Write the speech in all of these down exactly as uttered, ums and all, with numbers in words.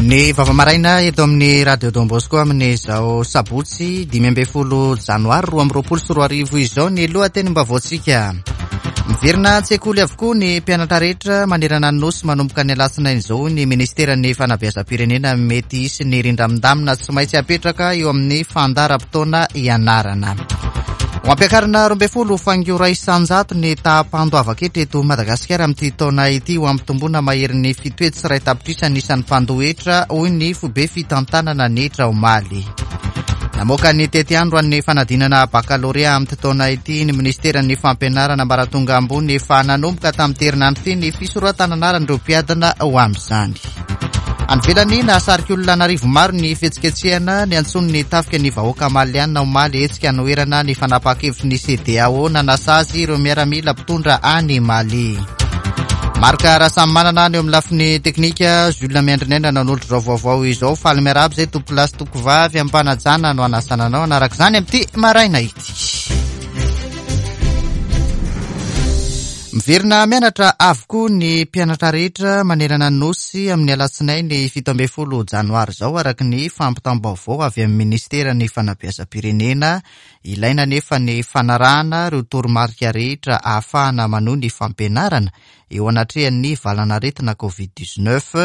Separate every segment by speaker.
Speaker 1: Ny vava maraina eto amin'ny Radio Don Bosco amin'izao sabotsy dimy ambin'ny folo janoary roa amby roapolo sy roa arivo izao ny lohatenim-baovaontsika. Miverina an-tsekoly avokoa ny mpianatra rehetra manerana ny nosy manomboka ny alatsinainy izao ny ministeran'ny fanabeazam-pirenena. Mety hisy ny rindra-mindamina tsy maintsy apetraka eo amin'ny fandaharam-potoana ianarana. Ho ampiakarina roa ambin'ny folo faingo iray isan-jato ny taham-pandoavan-ketra eto Madagasikara amin'ity taona ity, ho ampitomboana maherin'ny fito hetsy sy iray tapitrisa ny isan'ny mpandoa hetra, hoy ny foibe fitantanana ny hetra omaly. Namoaka ny tetiandro an'ny fanadinana bakalorea amin'ity taona ity ny ministeran'ny fampianarana ambaratonga ambony. Efa nanomboka tamin'ny herinandro ity ny fisoratana anaran'ireo mpiadina ho amin'izany. Any ivelany, nahasarika olona an'arivo maro ny fihetsiketsehana niantsoan'ny tafika ny vahoaka maliana omaly, hetsika anoherana ny fanapahan-kevitry ny C E D E A O nanasazy ireo miaramila mpitondra any Mali. Marc Rasamimanana ny eo amin'ny lafiny teknika, Jules Miandrinaina nanolotra izao vaovao izao. Faly miarahaba izay tompokolahy sy tompokovavy, ampanajana no anasana anao anaraka izany amin'ity maraina ity. Miverina mianatra avokoa ny mpianatra rehetra manerana ny nosy amin'ny alatsinainy fito ambin'ny folo janoary izao, araka ny fampitam-baovao avy amin'ny ministeran'ny fanabeazam-pirenena. Ilaina nefa ny fanarahana ireo toromarika rehetra ahafahana manohy ny fampianarana eo anatrehan'ny valanaretina Covid dix-neuf.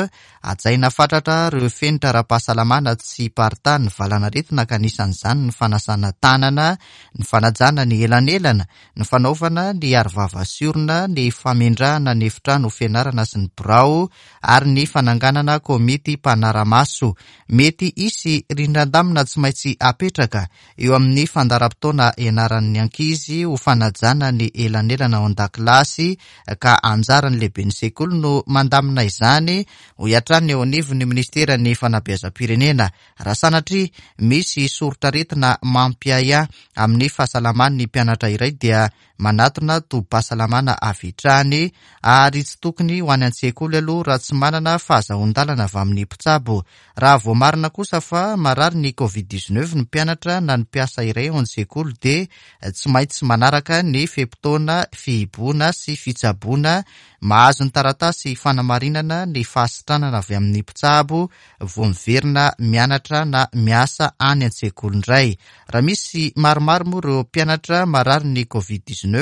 Speaker 1: Hajaina fatratra ireo fenitra ara-pahasalamana tsy hiparitahan'ny valanaretina, ka anisan'izany ny fanasana tanana, ny fanajana ny elanelana, ny fanaovana ny arovava sy orona, ny famendrahana ny efitrano fianarana sy ny birao ary ny fananganana komity mpanara-maso. Mety hisy rindran-damina tsy maintsy apetraka eo amin'ny fandaharam-potoana ianaran'ny ankizy ho fanajana ny elanelana ao an-dakilasy, ka anjaran'ny lehiben'ny sekoly no mandamina izany, hoy hatrany eo anivon'ny ministeran'ny fanabeazam-pirenena. Raha sanatria misy soritr'aretina mampiahiahy amin'ny fahasalaman'ny mpianatra iray dia manatona tobim-pahasalamana avy hatrany, ary tsy tokony ho any an-tsekoly aloha raha tsy manana fahazoan-dalana avy amin'ny mpitsabo. Raha voamarina kosa fa marary ny Covid dix-neuf ny mpianatra na ny mpiasa iray ao an-tsekoly dia tsy maintsy manaraka ny fe-potoana fihibohana sy fitsaboana, mahazo ny taratasy fanamarinana ny fahasitranana avy amin'ny mpitsabo vao miverina mianatra na miasa any an-tsekoly indray. Raha misy maromaro moa ireo mpianatra marary ny Covid dix-neuf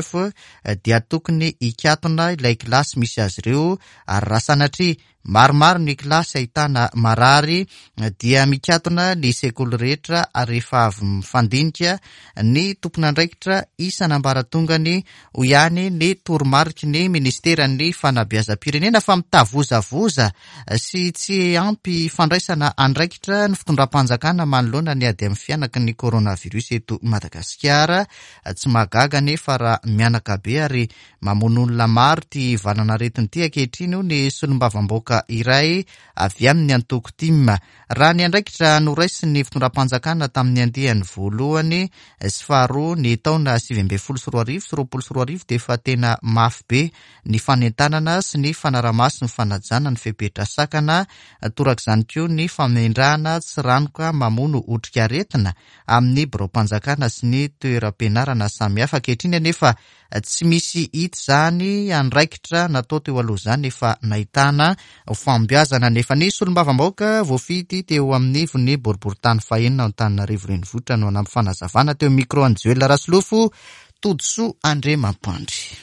Speaker 1: dia tokony hikatona ilay kilasy misy azy ireo, ary raha sanatria maromaro ny kilasy ahitana marary dia mikatona ny sekoly rehetra rehefa avy mifandinika ny tompon'andraikitra isan'ambaratongany, hoy ihany ny toromariky ny ministeran'ny fanabeazam-pirenena. Fa mitavozavoza sy tsy ampy fandraisana andraikitra ny fitondram-panjakana manoloana ny ady amin'ny fihanaky ny coronavirus eto Madagasikara. Tsy mahagaga nefa raha mihanaka be ary mamono olona maro ty valanaretina ity ankehitriny, io ny solombavambahoaka iray avy amin'ny antoko TIM. Raha ny andraikitra noraisin'ny fitondram-panjakana tamin'ny andiany voalohany sy faharoa ny taona sivy ambin'ny folo sy roa arivo sy roapolo sy roa arivo dia efa tena mafy be ny fanentanana sy ny fanaramaso ny fanajana ny fepetra sakana, torak'izany koa ny famendrahana tsiranoka mamono otrikaretina amin'ny biraom-panjakana sy ny toeram-pianarana samihafa. Ankehitriny anefa tsy misy hita izany andraikitra natao teo aloha izany efa nahitana fahombiazana, nefa ny solombavambahoaka voafidy teo amin'ny ivon'ny boriborintany fahenina Antananarivo renivohitra no hanampy fanazavana teo micro an'i Joel Rasolofo Todisoa Andriamampandry.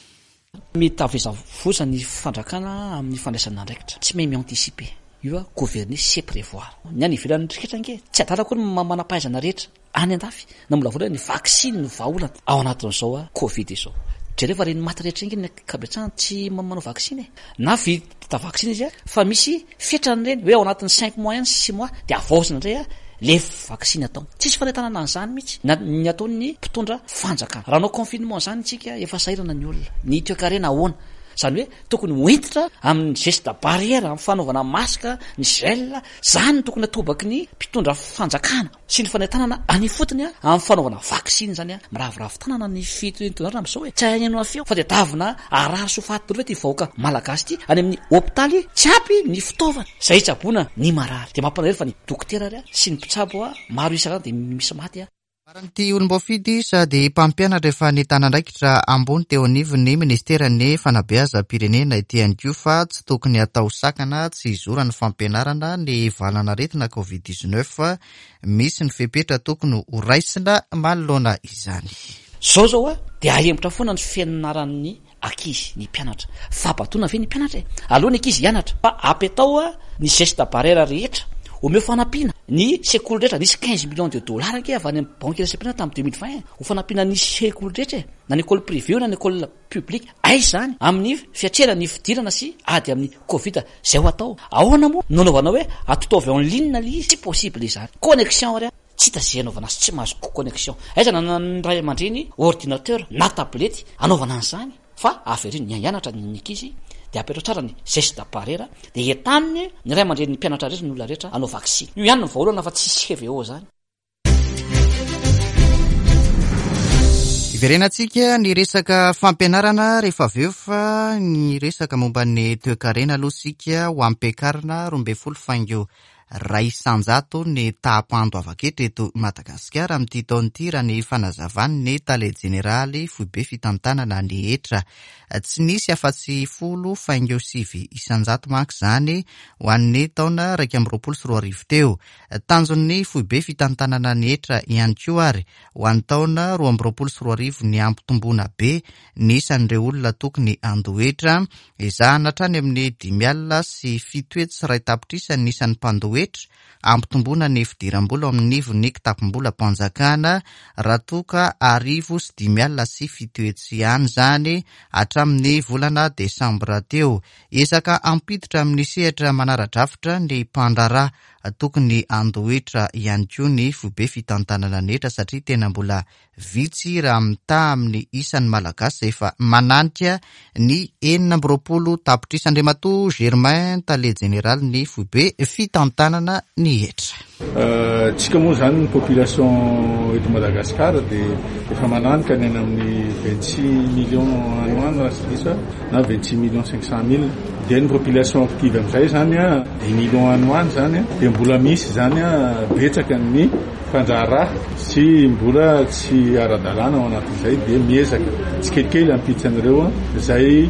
Speaker 2: Mitavozavoza ny fanjakana amin'ny fandraisana andraikitra, tsy mahay mi-anticiper io. A gouverner, c'est prévoir. Ny any ivelany rehetra ange tsy adala koa ny manam-pahaizana rehetra any andafy namolavola ny vaksiny no vahaolana ao anatin'izao a Covid izao. Jereo fa reny maty rehetra iny ny ankabetsahany tsy manao vaksiny e, na vita vaksiny izy a fa misy fetrany reny hoe ao anatin'ny cinq mois ihany, six mois de avaozina indray a le vaksiny atao. Tsisy fanentanana an'izany mihitsy na ny ataon'ny mpitondra fanjakana. Raha anao confinement zany tsika, efa sahirana ny olona, ny toekarena ahoana? Zany hoe tokony hoentitra amin'ny geste barrière, amin'ny fanaovana masque, ny gel zany no tokony atobaky ny mpitondra fanjakana sy ny fanentanana any fotony a amin'ny fanaovana vaksiny zany. A miraviravy tanana ny fitondrana am'izao hoe tsy hainao feo fa de davina arary so faty dolo hoe ty vahoaka malagasy ty any amin'ny hôpitaly tsy ampy ny fitaovana zay hitsaboana ny marary, de mampalahelo fa ny dokotera ary a sy ny mpitsabo a maro isaka de misy maty a.
Speaker 1: Faran'ity olom-boafidy sady mpampianatra efa nitana andraikitra ambony teo anivon'ny ministeran'ny fanabeazam-pirenena ity ihany koa fa tsy tokony atao sakana tsy hizoran'ny fampianarana ny valan'aretina covid dix-neuf. Misy ny fepetra tokony ho raisina manoloana izany.
Speaker 2: Zao zao a dia ahemotra foana ny fianaran'ny ankizy, ny mpianatra. Fahabatoana ve ny mpianatra e? Aloha ny ankizy hianatra fa apetao a ny geste barrière rehetra, omeo fanampiana ny sekoly rehetra. Nisy quinze millions de dollars ange avy any amin'ny banque iraisam-pirenena tamin'ny deux mille vingt ho fanampiana ny sekoly rehetra e, na ny école privée na ny école publique. Aiza zany amin'ny fiatrehana ny fidirana sy ady amin'ny covid zay ho atao? Ahoana moa no anaovana hoe atotovy en ligne le izy? Tsy possible izany. Connexion ary tsy hita zay anaovana azy, tsy mahazo connexion. Aiza na ny ray aman-dreny ordinateur na tablette anaovana an'izany? Fa avereno ny hianatra ny ankizy dia apetrao tsara ny geste barrière, dia entaniny ny ray aman-dreny, ny mpianatra rehetra, ny olona rehetra hanao vaksiny. Io ihany no vahaolana fa tsisy C V O zany.
Speaker 1: Iverenantsika ny resaka fampianarana rehefa avy eo, fa ny resaka momba ny toekarena aloha isika ho ampiakarina roa ambin'ny folo faingo iray isanjato ny taham-pandoavan-ketra eto Madagasikara amin'ity taona ity, raha ny fanazavan'ny tale jeneraly foibe fitantanana ny hetra. Tsy nisy afa-tsy folo faingo sivy isanjato manko izany ho an'ny taona iraika amby roapolo sy roa arivo teo. Tanjon'ny foibe fitantanana ny hetra ihany koa ary ho an'ny taona roa amby roapolo sy roa arivo ny hampitomboana be ny isan'ireo olona tokony handoa hetra. Ezahana hatrany amin'ny dimy alina sy fito hetsy sy iray tapitrisa ny isan'ny mpandoa hetra, hampitomboana ny fidiram-bola ao amin'ny ivon'ny kitapom-bolam-panjakana raha toa ka arivo sy dimy alina sy fito hetsy ihany izany hatramin'ny volana desambra teo. Ezaka hampiditra amin'ny sehatra manara-drafitra ny mpandraharaha tokony handoa hetra ihany koa ny foibe fitantanana ny hetra, satria tena mbola vitsy raha mitaha amin'ny isan'ny Malagasy efa mananika ny enina amby roapolo tapitrisa. Andriamatoa Germain, tale jeneraly ny foibe fitantanana ny hetra.
Speaker 3: Tsika moa zany ny population eto Madagasikara dia efa mananika ny any amin'ny vingt-six millions any ho any raha tsy diso aho, na vingt-six millions cinq cent mille. Dia ny population active amin'izay zany a dix millions any ho any zany a, dia mbola misy zany a betsaka ny mpandraharaha sy mbola tsy ara-dalàna ao anatin'izay, dia miezaka tsikelikely hampiditra an'ireo a izay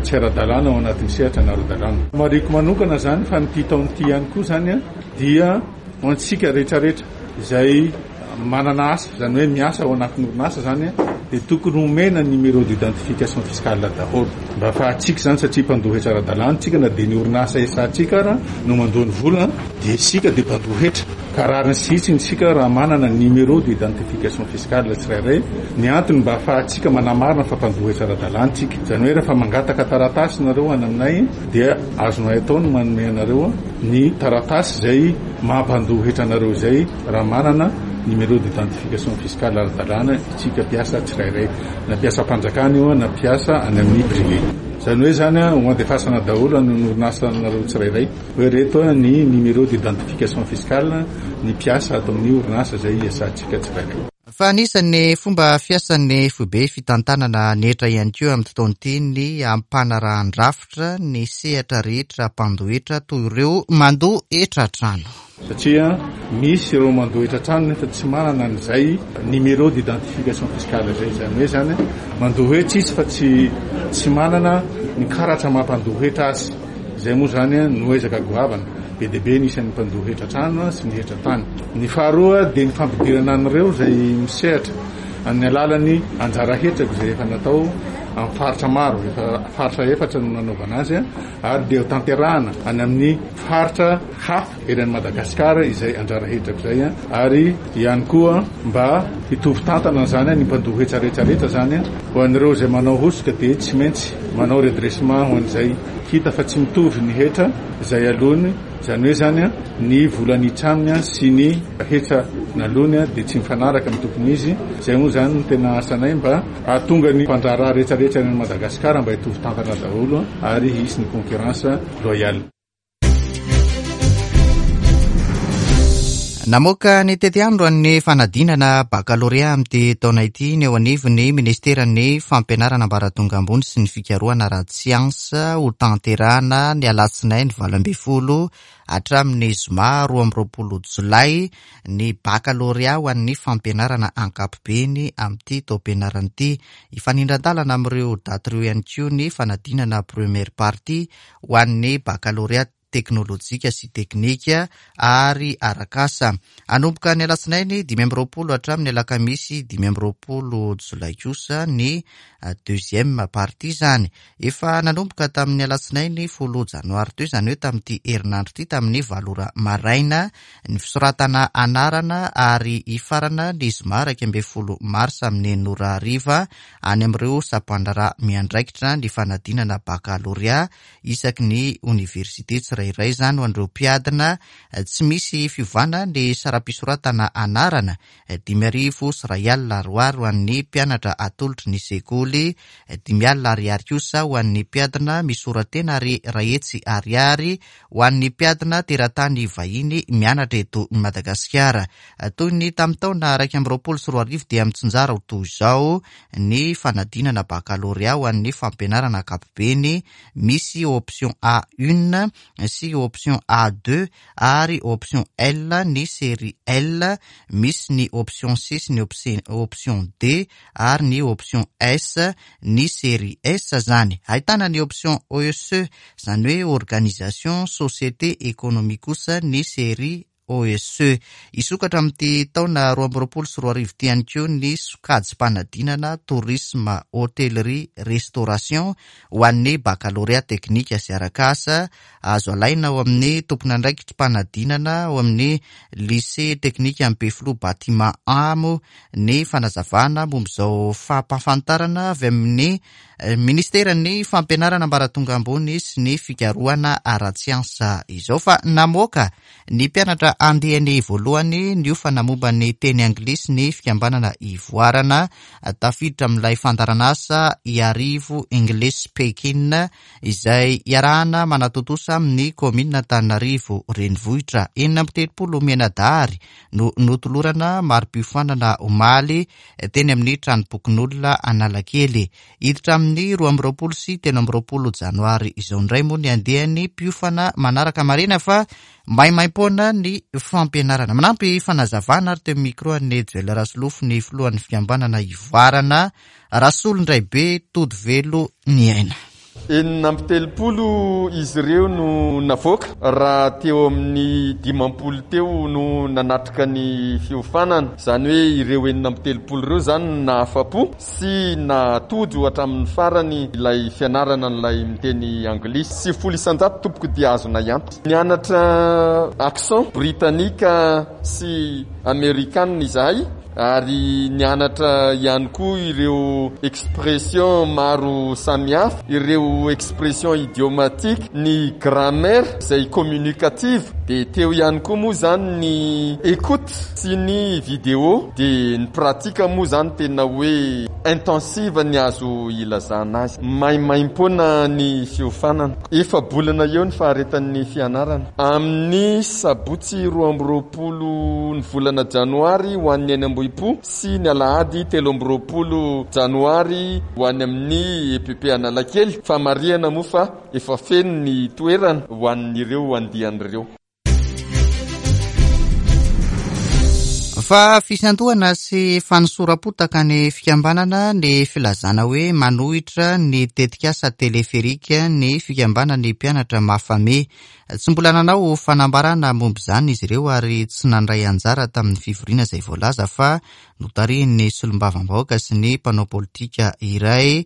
Speaker 3: tsy ara-dalàna ao anatin'ny sehatra na ara-dalàna. Marihiko manokana zany fa nyity taona ity ihany koa zany a dia ho antsika rehetrarehetra izay manana asa, zany hoe miasa ao anatin'ny orinasa zany a, dia tokony homena numéro d'identification fiscale daholo mba ahafahantsika zany, satria mpandoa hetra ara-dalàna tsika, na dia ny orinasa esantsika ara no mandoa ny vola dia isika dia mpandoa hetra. Ka rariny sy hitsiny isika raha manana numéro d'identification fiscale tsirairay, ny antony mba ahafahantsika manamarina fa mpandoa hetra ara-dalàna tsika. Zany hoe rehefa mangataka taratasy nareo any aminay dia azonay atao ny manome anareo ny taratasy izay mampandoa hetra anareo izay raha manana numéro d'identification fiscale ara-dalàna isika mpiasa tsirairay, na mpiasam-panjakana io na mpiasa any amin'ny privé. Zany hoe zany a ho andefasana daholo any orinasa anareo tsirairay hoe reto ny numéro d'identification fiscale ny mpiasa ato amin'ny orinasa izay iasantsika tsirairay.
Speaker 1: Fa anisan'ny fomba fiasan'ny foibe fitantanana ny hetra ihany koa amin'ny taona ity ny ampanarahan-drafitra ny sehatra rehetra mpandoa hetra toy ireo mandoa hetra trano.
Speaker 3: Satria misy ireo mandoa hetra trano nefa tsy manana an'izay numéro d'identification fiscale izay, izany hoe zany mandoa hetra izy fa tsy, tsy manana ny karatra mampandoa hetra azy. Izay moa zany no ezaka goavana be dia be ny isan'ny mpandoa hetra trano sy ny hetra tany. Ny faharoa dia ny fampidirana an'ireo izay misehatra amin'ny alalan'ny anjara hetrako izay efa natao amin'ny faritra maro, efa faritra efatra no nanaovana azy, ary dia tanterahana any amin'ny faritra hafa eran'i Madagasikara izay anjara hetrako izay, ary ihany koa mba hitovy tantana izany ny mpandoa hetra rehetra rehetra izany. Ho an'ireo izay manao hosoka dia tsy maintsy manao redressement ho an'izay hita fa tsy mitovy ny hetra izay aloany, izany hoe zany ny vola nitraminy sy ny hetra naloany dia tsy mifanaraka amin'ny tokony izy. Izay moa zany no tena asanay mba hahatonga ny mpandraharaha rehetra rehetra any Madagasikara mba hitovy tantana daholo ary hisy ny concurrence loyale.
Speaker 1: Namoaka ny tetiandro an'ny fanadinana bakalorea amin'ity taona ity ny eo anivon'ny ministeran'ny fampianarana ambaratonga ambony sy ny fikarohana ara-tsiansa ho tanterahana ny alatsinainy valo ambin'ny folo hatramin'ny zoma roa amby roapolo jolay ny bakalorea ho an'ny fampianarana ankapobeny amin'ity taom-pianarana ity. Hifanindran-dalana amin'ireo daty ireo ihany koa ny fanadinana première partie ho an'ny bakalorea teknolojika sy teknika ary arak'asa. Hanomboka ny alatsinainy dimy amby roapolo hatramin'ny alakamisy dimy amby roapolo jolay kosa ny deuxième partie izany. Efa nanomboka tamin'ny alatsinainy folo janoary teo, izany hoe tamin'ity herinandro ity, tamin'ny valo ora maraina ny fisoratana anarana ary hifarana ny zoma iraika ambin'ny folo marsa amin'ny enina ora hariva any amin'ireo sampandraharaha miandraikitra ny fanadinana bakalorea isaky ny oniversite tsirairay izany ho an'ireo mpiadina. Tsy misy fiovana ny saram-pisoratana anarana dimy arivo sy iray alina ariary ho an'ny mpianatra atolotry ny sekoly, dimy alina ariary kosa ho an'ny mpiadina misora-tena ary iray hetsy ariary ho an'ny mpiadina teratany vahiny mianatra eto Madagasikara. Toy ny tamin'ny taona iraika amby roapolo sy roa arivo dia mitsinjara ho toy izao ny fanadinana bakalorea ho an'ny fampianarana ankapobeny, misy option A un sy option A deux ary option L ny série L, misy ny option C sy ny option D ary ny option S ny série S zany. Ahitana ny option O E S E, izany hoe organisation société économique kosa ny série O E S E. Hisokatra amin'ity taona roa amby roapolo sy roa arivo ity ihany koa ny sokajim-panadinana tourisme, hôtellerie, restauration ho an'ny bakalorea teknika sy arak'asa. Azo alaina ao amin'ny tompon'andraikitrim-panadinana ao amin'ny lycée teknika Ampefiloha bâtiment A moa ny fanazavana momba izao fampahafantarana avy amin'ny ministeran'ny fampianarana ambaratonga ambony sy ny fikarohana ara-tsiansa izao. Fa namoaka ny mpianatra andiany voalohany niofana momba ny teny anglisy ny fikambanana Ivoarana, tafiditra amin'ilay fandaharanasa Iarivo English Speaking izay iarahana manatontosa amin'ny kaominina Antananarivo renivohitra. Enina amby telopolo mianadahary no notolorana mari-piofanana omaly teny amin'ny tranom-pokonolona Analakely. Hiditra amin'ny roa amby roapolo sy telo amby roapolo janoary izao indray moa ny andiany mpiofana manaraka. Marina fa maimaimpoana ny fampianarana. Manampy fanazavana ary teo amin'ny micro an'i Joel Rasolofo ny filohan'ny fikambanana Ivoarana, Rasolondraibe Todivelo ny aina.
Speaker 4: Enina amby telopolo izy ireo no navoaka raha teo amin'ny dimampolo teo no nanatrika ny fiofanana. Izany hoe ireo enina amby telopolo ireo izany no nahafa-po sy natojo hatramin'ny farany ilay fianarana an'ilay miteny anglisy. Sivifolo isan-jato tompoko dia azonay antoka. Nianatra accent britannique sy amerikana izahay ary nianatra ihany koa ireo expression maro samihafa, ireo expression idiomatique, ny grammaire izay communicative, dia teo ihany koa moa izany ny écoute sy ny vidéo, dia ny pratique moa izany tena hoe intensive ny azo ilazana azy. Maimaimpoana ny fiofanana. Efa-bolana eo ny faharetan'ny fianarana. Amin'ny sabotsy roa amby roapolo ny volana janoary ho an'ny any Ambohipo sy ny alahady telo amby roapolo janoary ho any amin'ny E P P Analakely. Famarihana moa fa efa feno ny toerana ho an'ireo andian'ireo.
Speaker 1: Fa fisandohana sy fanosoram-potaka ny fikambanana ny filazana hoe manohitra ny tetikasa teleferika ny fikambanan'ny mpianatra Mafame. Tsy mbola nanao fanambarana momba izany izy ireo ary tsy nandray anjara tamin'ny fivoriana izay voalaza fa notarihin'ny solombavambahoaka sy ny mpanao politika iray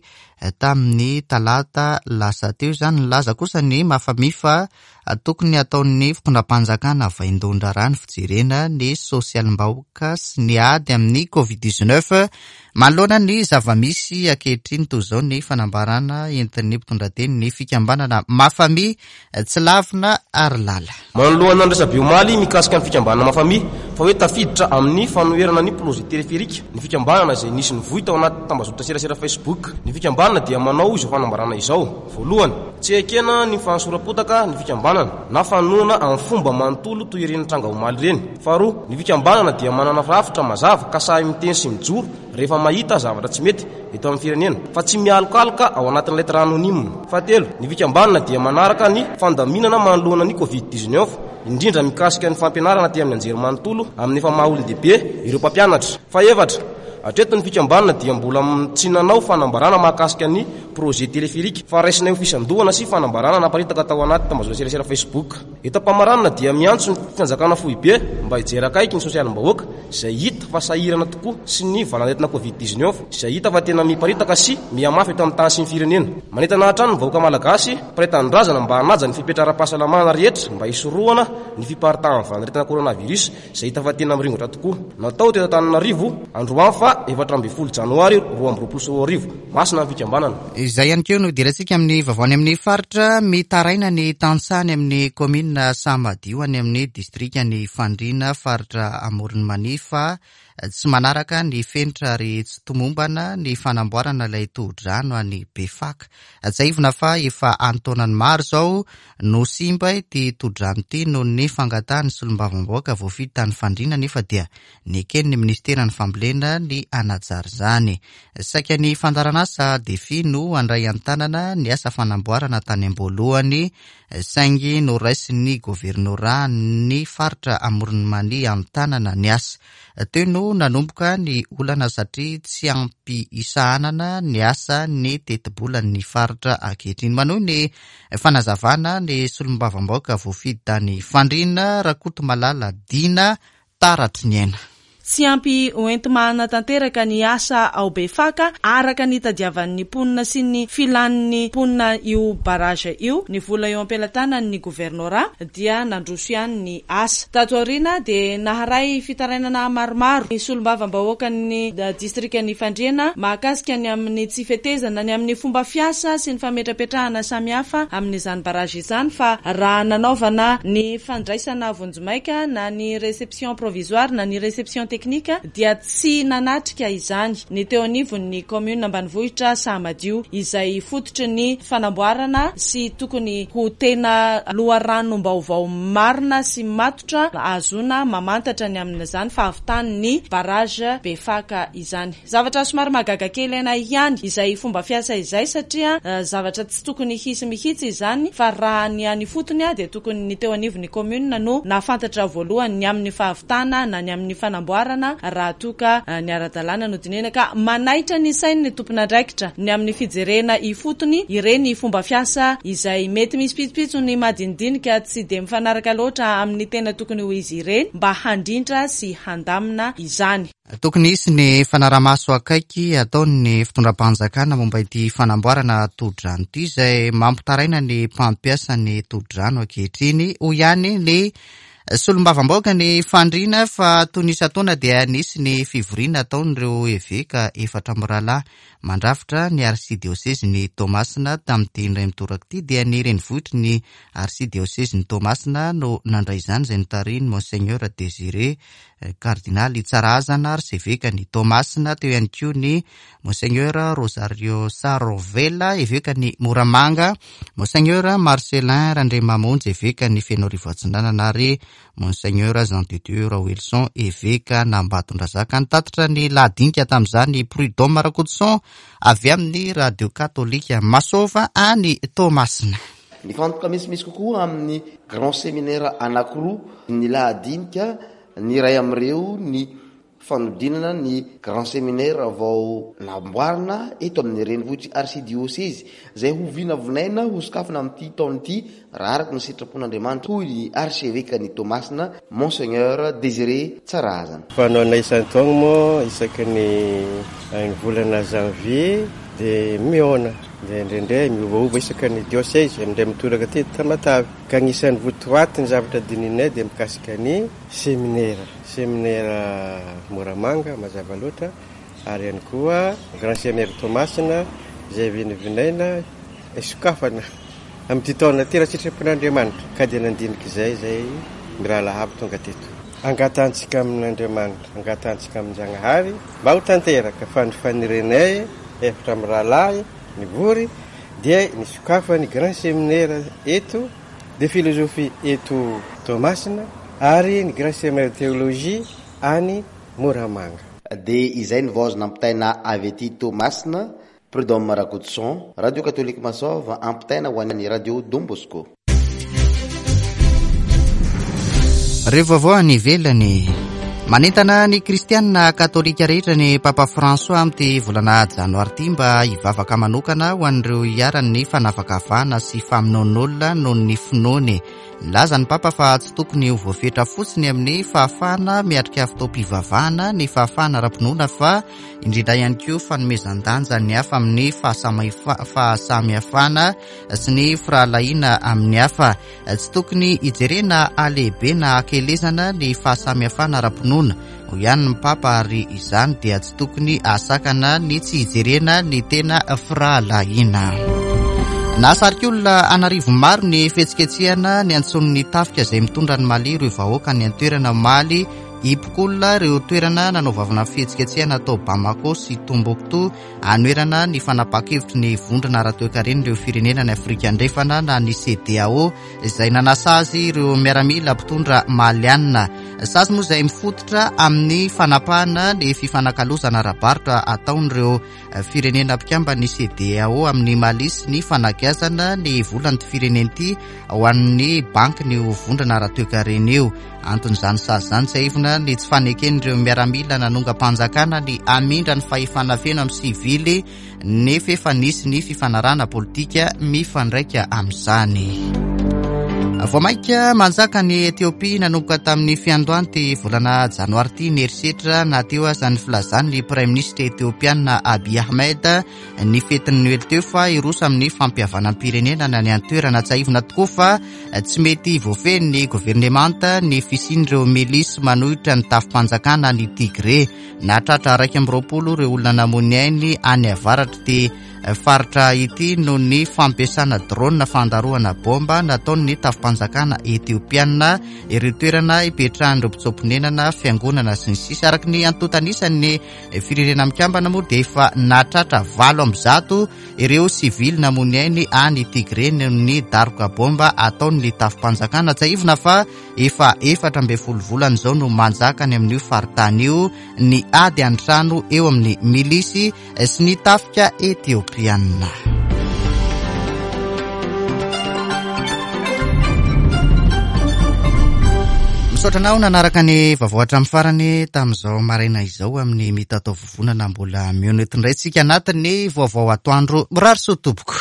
Speaker 1: tamin'ny talata lasa teo izany. Nilaza kosa ny Mafame fa tokony hataon'ny fitondram-panjakana vaindohan-draharaha ny fijerena ny sosialim-bahoaka sy ny ady amin'ny covid dix-neuf. Manoloana ny zava-misy ankehitriny toy izao ny fanambarana entin'ny mpitondra teny ny fikambanana Mafame tsy lavina ary lala.
Speaker 5: Manoloana ny resabe omaly mikasika ny fikambanana Mafame fa hoe tafiditra amin'ny fanoherana ny projet téléphérique ny fikambanana izay nisy nivoy tao anaty tambazotra serasera Facebook. Ny fikambanana dia manao izao fanambarana izao: voalohany, tsy ekena ny fanosoram-potaka ny fikambanana na fanoana amin'ny fomba manontolo toy ireny tranga omaly ireny. Faharoa, ny fikambanana dia manana rafitra mazava ka sahy miteny sy mijoro rehefa mahita zavatra tsy mety eto amin'ny firenena, fa tsy mialokaloka ao anatin'ny lettre anonyme. Fahatelo, ny fikambanana dia manaraka ny fandaminana manoloana ny covid dix-neuf, indrindra mikasika ny fampianarana aty amin'ny anjerimanontolo amin'ny efa maha olon-dehibe ireo mpampianatra. Fahefatra, hatreto ny fikambanana dia mbola tsy nanao fanambarana mahakasika ny projet téléphérique, fa raisinay ho fisandohana sy fanambarana naparitaka tao anaty tambazotra serasera Facebook. Eto am-pamaranana dia miantso ny fanjakana foibe mba hijery akaiky ny sosialim-bahoaka izay hita fa sahirana tokoa sy ny valanaretina covid dix-neuf izay hita fa tena miparitaka sy mihamafy eto amin'ny tany sy ny firenena. Manentana hatrany ny vahoaka malagasy mpiray tanindrazana mba hanaja ny fepetra ara-pahasalamana rehetra mba hisorohana ny fiparitahan'ny valanaretina coronavirus izay hita fa tena miringotra tokoa. Natao teto Antananarivo androany fa efatra ambin'ny folo janoary roa amby roapolo sy roa arivo. Masina ny fikambanana.
Speaker 1: Izay ihany koa no idirantsika amin'ny vaovao any amin'ny faritra. Mitaraina ny tantsaha any amin'ny kaominina Samadio any amin'ny distrikan'i Fandriana, faritra Amoron'i Mania, fa tsy manaraka ny fenitra ary tsy tomombana ny fanamboarana ilay tohodrano any Befaka. Tsiahivina fa efa an-taonany maro izao no simba ity tohodrano ity noho ny fangatahan'ny solombavambahoaka voafidy tany Fandriana, nefa dia neken'ny ministeran'ny fambolena ny hanajary izany. Saika ny fandaharanasa Defi no handray an-tanana ny asa fanamboarana tany am-boalohany, saingy noraisin'ny governora ny faritra Amoron'i Mania an-tanana ny asa. Teo no nanomboka ny olana satria tsy ampy isahanana ny asa ny tetibolan'ny faritra ankehitriny. Manohy ny fanazavana ny solombavambahoaka voafidy tany Fandriana, Rakotomalala Dina Taratry ny Aina.
Speaker 6: Tsy ampy hoenti-mahana tanteraka ny asa ao Befaka araka ny tadiavan'ny mponina sy ny filan'ny mponina io barrage io. Ny vola eo am-pelatanan'ny governora dia nandroso ihany ny asa. Tato aoriana dia naharay fitarainana maromaro ny solombavambahoakan'ny distrikan'i Fandriana mahakasika ny amin'ny tsy fetezana ny amin'ny fomba fiasa sy ny fametrapetrahana samihafa amin'izany barrage izany, fa raha nanaovana ny fandraisana vonjimaika na ny réception provisoire na ny réception teknika dia tsy nanatrika izany ny teo anivon'ny commune ambanivohitra Samadio, izay fototry ny fanamboarana sy tokony ho tena loharanom-baovao marina sy matotra ahazoana mamantatra ny amin'izany fahavitan'ny barrage Befaka izany. Zavatra somary mahagaga kely anay ihany izay fomba fiasa izay, satria zavatra tsy tokony hisy mihitsy izany, fa raha ny any fotony dia tokony ny teo anivon'ny commune no nahafantatra voalohany ny amin'ny fahavitana na ny amin'ny fanamboarana raha toa ka ny ara-dalàna no dinihina. Ka manaitra ny sain'ny tompon'andraikitra ny amin'ny fijerena ifotony ireny fomba fiasa izay mety misy pitsopitsony madinidinika tsy dia mifanaraka loatra amin'ny tena tokony ho izy ireny, mba handrindra sy handamina izany.
Speaker 1: Tokony hisy ny fanaramaso akaiky ataon'ny fitondram-panjakana momba ity fanamboarana tohodrano ity, izay mampitaraina ny mpampiasa ny tohodrano ankehitriny. Hoy ihany ny solombavambahoaka ny Fandriana fa toy ny isan-taona dia nisy ny fivoriana ataon'ireo eveka efatra amby rahalahy mandrafitra ny arsidiosezin'i Toamasina. Tamin'ity indray mitoraka ity dia ny renivohitry ny arsidiosezin'i Toamasina no nandray izany, izay notarihin'ny Monseigneur Désiré Kardinaly Tsarahazana arsevekan'i Toamasina. Teo ihany koa ny Monseigneur Rosario Sarovela evekan'i Moramanga, Monseigneur Marcelin Randriamamonjy evekan'i Fenoarivo Atsinanana ary Monseigneur Jean de Dieu Raoelison evekan'Ambatondrazaka. Nitatitra ny lahadinika tamin'izany Prud'homme Rakotoson avy amin'ny Radio Katolika Masova any Toamasina.
Speaker 7: Nifantoka misimisy kokoa amin'ny grand séminaire anankiroa ny lahadinika, ny iray amin'ireo ny fanodinana ny grand séminaire vao namboarina eto amin'ny renivohitry archidiocèse izay ho vinavinaina ho sokafana amin'ity taona ity raha araka ny sitrapon'Andriamanitra, hoy ny archevêque-n'i Toamasina Monseigneur Désiré Tsarahazana.
Speaker 8: Fanaonay isan-taona moa isaky ny ny volana janvier dia mihaona, dia indraindray miovaova isaky ny diocèse, indray mitoraka aty Tamatave. Ka anisan'ny votoaty ny zavatra dininay dia mikasika ny séminaire, séminaire Moramanga mazava loatra, ary ihany koa grand séminaire Toamasina izay vinavinaina sokafana amin'ity taona ity raha sitrapon'Andriamanitra. Ka dia nandinika izay izay mirahalahy avy tonga teto. Angatantsika amin'Andriamanitra, angatantsika amin-Jagnahary mba ho tanteraka fa ny fanirenay efatra amin'ny rahalahy nivory dia nisokafany grand séminaire eto de philosophie eto Toamasina ary ny grand séminaire de théologie any Moramanga.
Speaker 7: Dia izay ny vaovao nampitaina avy aty Toamasina. Prud'homme Rakotoson, Radio Catholique Masova, ampitaina ho an'ny Radio Don Bosco.
Speaker 1: Reo vaovao any ivelany. Manentana ny kristianina katolika rehetra ny Papa François amin'ity volana janoary ity mba hivavaka manokana ho an'ireo iharan'ny fanavakavahana sy famonoan'olona noho ny finoany. Nilaza ny Papa fa tsy tokony ho voafetra fotsiny amin'ny fahafahana miatrika fotoam-pivavahana ny fahafahana ara-pinoana fa indrindra ihany koa fanomezan-danja ny hafa amin'ny fahasamihafana sy ny firahalahiana amin'ny hafa. Tsy tokony hijerena halehibe na hakelezana ny fahasamihafana ara-pinoana, hoy ihany ny Papa, ary izany dia tsy tokony hahasakana ny tsy hijerena ny tena firahalahiana. Nahasarika olona an'arivo maro ny fihetsiketsehana ny antson'ny tafika izay mitondra ny Mali ireo vahoaka ny an-toerana Mali. Hipokolona ireo toerana nanaovana fihetsiketsehana tao Bamako sy Tombouctou anoherana ny fanapahan-kevitry ny vondrona ara-toekaren'ireo firenena ny Afrika Andrefana na ny C D A O izay nanasazy ireo miaramila mpitondra malianina. Sazy moa izay mifototra amin'ny fanapahana ny fifanakalozana ara-barotra ataon'ireo firenena mpikamban'ny C D A O amin'ny Mali sy ny fanagiazana ny volan'ity firenena ity ho an'ny banky ny vondrona ara-toekarena io. Anton'izany sazy izany tsiahivina ny tsy faneken'ireo miaramila nanongam-panjakana ny hamindra ny fahefana feno amin'ny sivily nefa efa nisy ny fifanarahana politika mifandraika amin'izany. Vao mainka manjaka ny Etiopia nanomboka tamin'ny fiandohan'ity volana janoary ity ny herisetra na teo aza ny filazan'ny praiminisitra etiopiana Abiy Ahmed ny fetin'ny Noely teo fa hiroso amin'ny fampihavanam-pirenena ny an-toerana. Tsiahivina tokoa fa tsy mety voafehin'ny governemanta ny fisian'ireo milisy manohitra ny tafim-panjakana ny Tigré. Nahatratra iraika amby roapolo ireo olona namoy ny ainy any avaratr'ity faritra ity noho ny fampiasana drone fandarohana bomba nataon'ny tafim-panjakana etiopiana ireo toerana ipetrahan'ireo mpitsoa-ponenana, fiangonana sy ny sisa. Araka ny antontan'isan'ny firenena mikambana moa dia efa nahatratra valo amby zato ireo sivily namoy ny ainy any Tigré noho ny daroka bomba ataon'ny tafim-panjakana. Tsiahivina fa efa efatra ambin'ny folo volana izao no manjaka any amin'io faritany io ny ady an-trano eo amin'ny milisy sy ny tafika etiopiana. Misaotra anao nanaraka ny vaovao hatramin'ny farany tamin'izao maraina izao amin'ny mitatao vovonana mbola mihaona eto indray tsika anatin'ny vaovao atoandro. Mirary soa tompoko.